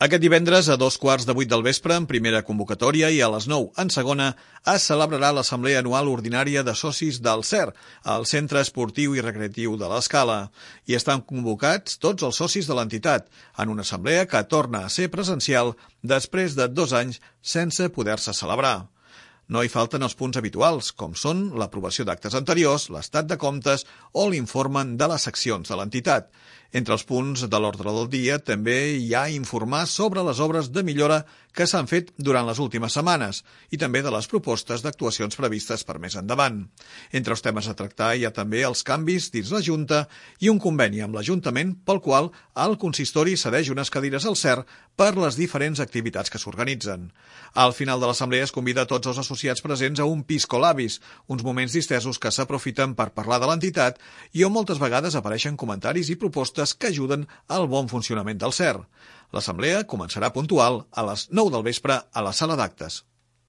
Aquest divendres a 2:15 del vespre, en primera convocatòria, i a les 9 en segona, es celebrarà l'Assemblea Anual Ordinària de Socis del CER, al Centre Esportiu i Recreatiu de l'Escala. Hi estan convocats tots els socis de l'entitat, en una assemblea que torna a ser presencial després de 2 anys sense poder-se celebrar. No hi falten els punts habituals, com són l'aprovació d'actes anteriors, l'estat de comptes o l'informe de les seccions de l'entitat. Entre els punts de l'ordre del dia també hi ha informar sobre les obres de millora que s'han fet durant les últimes setmanes i també de les propostes d'actuacions previstes per més endavant. Entre els temes a tractar hi ha també els canvis dins la Junta i un conveni amb l'Ajuntament pel qual el consistori cedeix unes cadires al CER per les diferents activitats que s'organitzen. Al final de l'assemblea es convida a tots els associats presents a un pisco labis, uns moments distesos que s'aprofiten per parlar de l'entitat i on moltes vegades apareixen comentaris i propostes que ajuden al bon funcionament del CER. L'assemblea començarà puntual a les 9 del vespre a la sala d'actes.